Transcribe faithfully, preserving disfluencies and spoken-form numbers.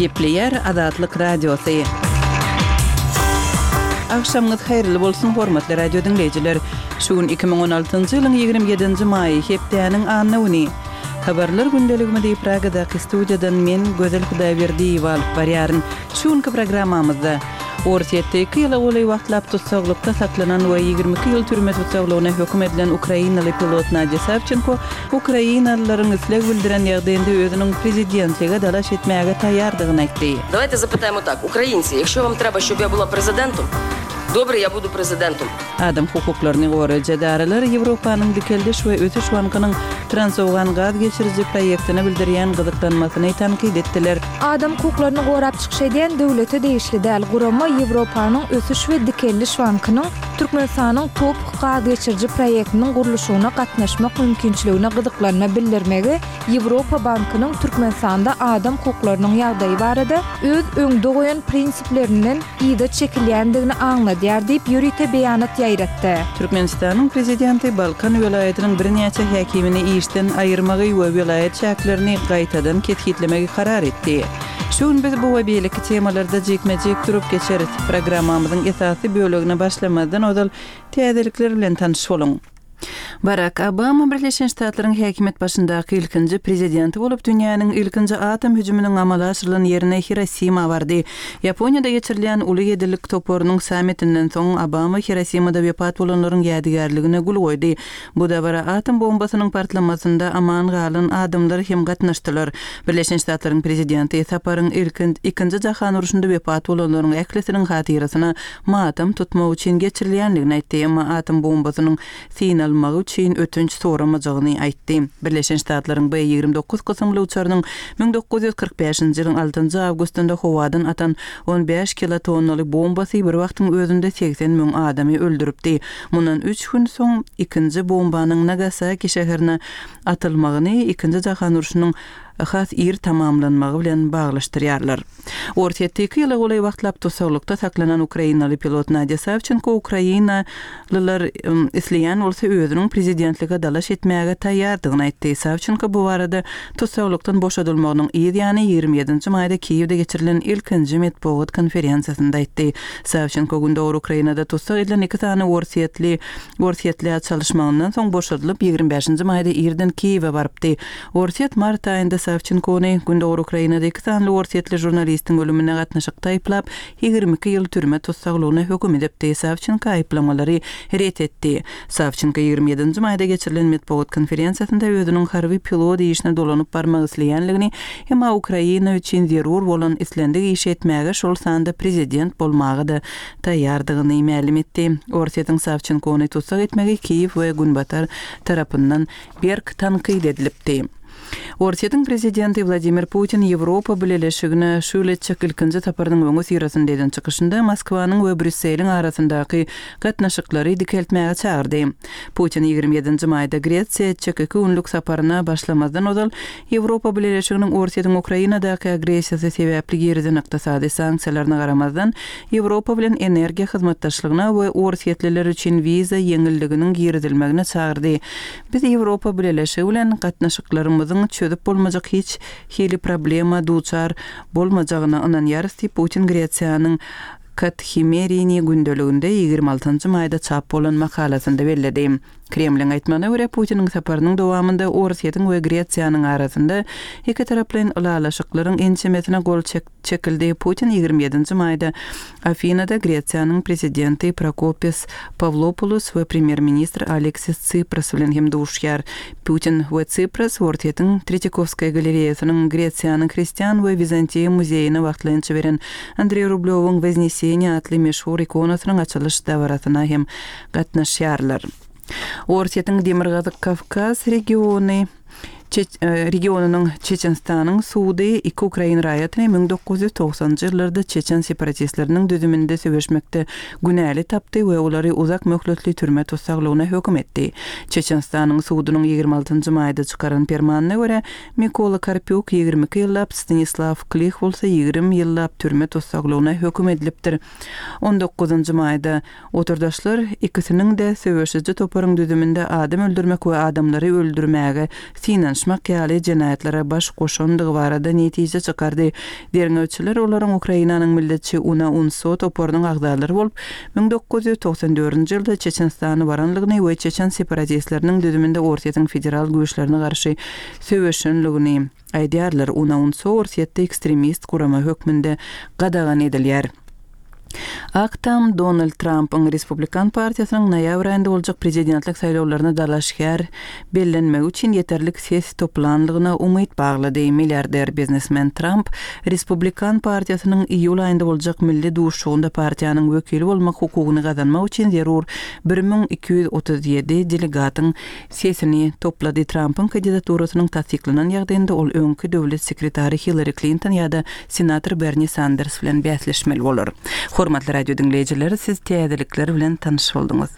Gepleýär Azatlyk Radiosy. Agşamyňyz haýyrly bolsun, hormatly radio diňleýjiler. Şu gün iki müň on altynjy ýylyň ýigrimi ýedinji maýy, hepdäniň anna güni. Habarlar gündeligimizi Pragadaky studiýadan men, Gözel Hudaýberdiýewa alyp barýaryn. Şu günki programmamyzda Orsýetde iki ýyla golaý wagtlap tussaglykda saklanan we ýigrimi iki ýyl türme tussaglygyna höküm edilen ukrainaly pilot Nadýa Sawçenko ukrainalylaryň isleg bildiren ýagdaýynda özüniň prezidentlige dalaş etmäge taýýardygyny aýtdy. Давайте запитаємо так, украинцы, якщо вам треба, щоб я була президентом, добре, я буду президентом. Adam hukuklaryny goraýjy edaralar Ýewropanyň Dikeldiş we ösüş bankynyň Transowgan gaz geçiriji proýektine bildirýän gyzyklanmasyny tankyt etdiler. Adam hukuklaryny gorap çykyş edýän döwlete degişli däl gurama Ýewropanyň Ösüş we Dikeldiş bankynyň Türkmenistanyň TOPH gaz geçiriji proýektiniň gurluşygyna gatnaşmak mümkinçiligine gyzyklanma bildirmegi Ýewropa bankynyň Türkmenistanda adam hukuklarynyň ýagdaýy barada öz öňde goýan prinsiplerinden yza çekilýändigini aňladýar diýip ýörite beýanat ýaýratdy. Türkmenistanyň prezidenti Balkan welaýatynyň birnäçe häkimini işden aýyrmagy we welaýat çäklerini gaýtadan kesgitlemegi karar etdi. Şu gün biz bu we beýleki temalarda jikme-jik durup geçeris. Programmamyzyň esasy bölegine başlamazdan ozal täzelikler bilen tanyş boluň. Barak Obama Birleşen Ştatlaryň häkimiýet başyndaky ilkinji prezidenti bolup dünýäniň ilkinji atom hüjüminiň amala aşyrylan ýerine Hirosima bardy. Ýaponiýada geçirilýän uly ýedilik toparynyň sammitinden soň Obama Hirosimada wepat bolanlaryň ýadygärligine gül goýdy. Bu dabara atom bombasynyň partlamasynda aman galan adamlar hem gatnaşdylar. Birleşen Ştatlaryň prezidenti saparyň ilkin ikinji jahan urşunda wepat bolanlaryň ählisiniň hatyrasyna matam tutmak üçin geçirilýändigini aýtdy. Emma atom bombasynyň synalmagy üçin ötünç soramajagyny aýtdy. Birleşen Ştatlaryň B ýigrimi dokuz kysymly uçarynyň müň dokuz ýüz kyrk bäşinji ýylyň altynjy awgustynda howadan atan on bäş kilotonnaly bombasy bir wagtyň özünde segsen müň adamy öldüripdi. Mundan üç gün soň ikinji bombanyň Nagasaki şäherine atylmagyny ikinji jahan urşunyň has ir tamamlanmagy bilen baglaşdyrýarlar. Orsýetde iki ýyla golaý wagtlap tussaglykda saklanan ukrainaly pilot Nadýa Sawçenko ukrainalylar, ym, isleýän bolsa özüniň prezidentlige dalaş etmäge taýýardygyny aýtdy. Sawçenko bu barada tussaglykdan boşadylmagynyň yz ýany ýigrimi ýedinji maýda Kiýewde geçirilen ilkinji metbugat konferensiýasynda aýtdy. Sawçenko gündogar Ukrainada tussag edilen iki sany orsýetli, orsýetli çalyşmagyndan soň boşadylyp ýigrimi bäşinji maýda irden Kiýewe barypdy. Orsýet mart aýynda Sawçenkony gündogar Ukrainada iki sany orsýetli žurnalistiň ölümine gatnaşykda aýyplap, ýigrimi iki ýyl türme tussaglygyna höküm edipdi. Sawçenko aýyplamalary ret etdi. Sawçenko ýigrimi ýedinji maýda geçirilen metbugat konferensiýasynda özüniň harby pilot işine dolanyp barmak isleýänligini, emma Ukraina üçin zerur bolan islendik iş etmäge şol sanda prezident bolmaga da taýýardygyny mälim etdi. Orsýetiň Sawçenkony tussag etmegi Kiýew we Günbatar tarapyndan berk tankyt edilipdi. Orsýetiň prezidenti Wladimir Putin Ýewropa Bileleşigine şu ýyl etjek ilkinji saparynyň öňi syrasynda eden çykyşynda Moskwanyň we Brýusseliň arasyndaky gatnaşyklary dikeltmäge çagyrdy. Putin ýigrimi ýedinji maýda Gresiýa etjek iki günlük saparyna başlamazdan ozal Ýewropa Bileleşiginiň Orsýetiň Ukrainadaky agressiýasy sebäpli girizen ykdysady sanksiýalaryna garamazdan Ýewropa bilen energiýa hyzmatdaşlygyna we orsýetliler üçin wiza ýeňilliginiň girizilmegine çagyrdy. Biz Ýewropa Bileleşigi bilen gatnaşyklarymyzyň çözüp bolmajak hiç hili problema duçar bolmajagyna ynanýarys diýip Putin Gresiýanyň Kathimerini gündeliginde ýigrimi altynjy maýda çap bolan makalasynda belledi. Kremliň aýtmagyna görä Putiniň saparynyň dowamynda Orsýetiň we Gresiýanyň arasynda iki taraplaýyn ylalaşyklaryň ençemesine gol çek-, çekildi. Putin ýigrimi ýedinji maýda Afinada Gresiýanyň prezidenti Prokopis Pawlopoulos we premýer-ministr Aleksis Tsipras bilen hem duşýar. Putin we Tsipras Orsýetiň Tretýakovskaya galereýasynyň Gresiýanyň Hristian we Wizantiýa muzeýine wagtlaýynça beren Andrei Rublewyň Wozneseniýa atly meşhur ikonasynyň açylyş dabarasyna hem gatnaşýarlar. Orsýetiň Demirgazyk Kawkaz regiony Çeç-, e, regionynyň Çeçenistanyň sudy iki ukrain raýatyny müň dokuz ýüz togsanjy ýyllarda Çeçen separatistleriniň düzüminde söweşmekde günäli tapdy we olary uzak möhletli türme tussaglygyna höküm etdi. Çeçenistanyň sudunyň ýigrimi altynjy maýda çykaran permanyna görä Mikola Karpýuk ýigrimi iki ýyllap, Stanislav Klih bolsa ýigrimi ýyllap türme tussaglygyna höküm edilipdir. On dokuzynjy maýda oturdaşlar ikisiniň de söweşiji toparyň düzüminde adam öldürmek we adamlary öldürmäge synanyşmak synanyşmak ýaly jenaýatlara baş goşandygy barada netije çykardy. Derňewçiler olaryň Ukrainanyň milletçi UNA-UNSO toparynyň agzalary bolup, müň dokuz ýüz togsan dördünji ýylda Çeçenistana baranlygyny we çeçen separatistleriniň düzüminde Orsýetiň federal güýçlerine garşy söweşenligini aýdýarlar. UNA-UNSO Orsýetde ekstremist gurama hökmünde gadagan edilýär. Ak Tam Donald Trampyň Respublikan partiýasynyň noýabr aýynda boljak prezidentlik saýlawlaryna dalaşgär bellenmegi üçin ýeterlik ses toplanlygyna umyt baglady. Milliarder biznesmen Tramp Respublikan partiýasynyň iýul aýynda boljak milli duşuşygynda partiýanyň wekili bolmak hukugyny gazanmak üçin zerur bir müň iki ýüz otuz ýedi delegatyň sesini toplady. Trampyň kandidaturasynyň tassyklanan ýagdaýynda ol öňki döwlet sekretary Hillari Klinton ýa-da senator Berni Sanders bilen bäsleşmeli bolar. Hormatly radio diňleýjiler, siz täzelikler bilen tanyş bolduňyz.